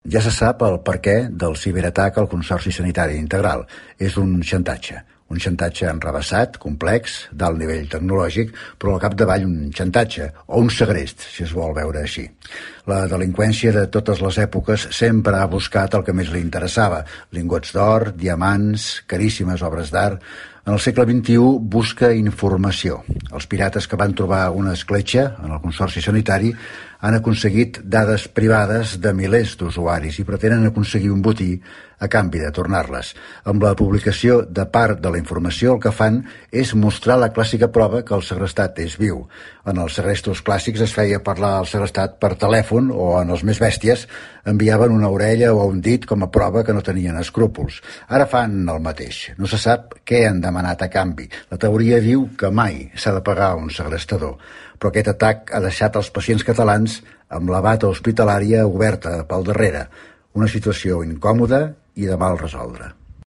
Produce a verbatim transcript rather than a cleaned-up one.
Ja se sap el perquè del ciberatac al Consorci Sanitari Integral. És un xantatge. Un xantatge enrevessat, complex, d'alt nivell tecnològic, però al capdavall un xantatge, o un segrest, si es vol veure així. La delinqüència de totes les èpoques sempre ha buscat el que més li interessava: lingots d'or, diamants, caríssimes obres d'art. En el segle vint-i-u busca informació. Els pirates que van trobar una escletxa en el Consorci Sanitari han aconseguit dades privades de milers d'usuaris i pretenen aconseguir un botí a canvi de tornar-les. Amb la publicació de part de la informació el que fan és mostrar la clàssica prova que el segrestat és viu. En els segrestos clàssics es feia parlar al segrestat per telèfon o, en els més bèsties, enviaven una orella o un dit com a prova que no tenien escrúpols. Ara fan el mateix. No se sap què han demanat a canvi. La teoria diu que mai s'ha de pagar un segrestador. Però aquest atac ha deixat els pacients catalans amb la bata hospitalària oberta pel darrere. Una situació incòmoda i de mal resoldre.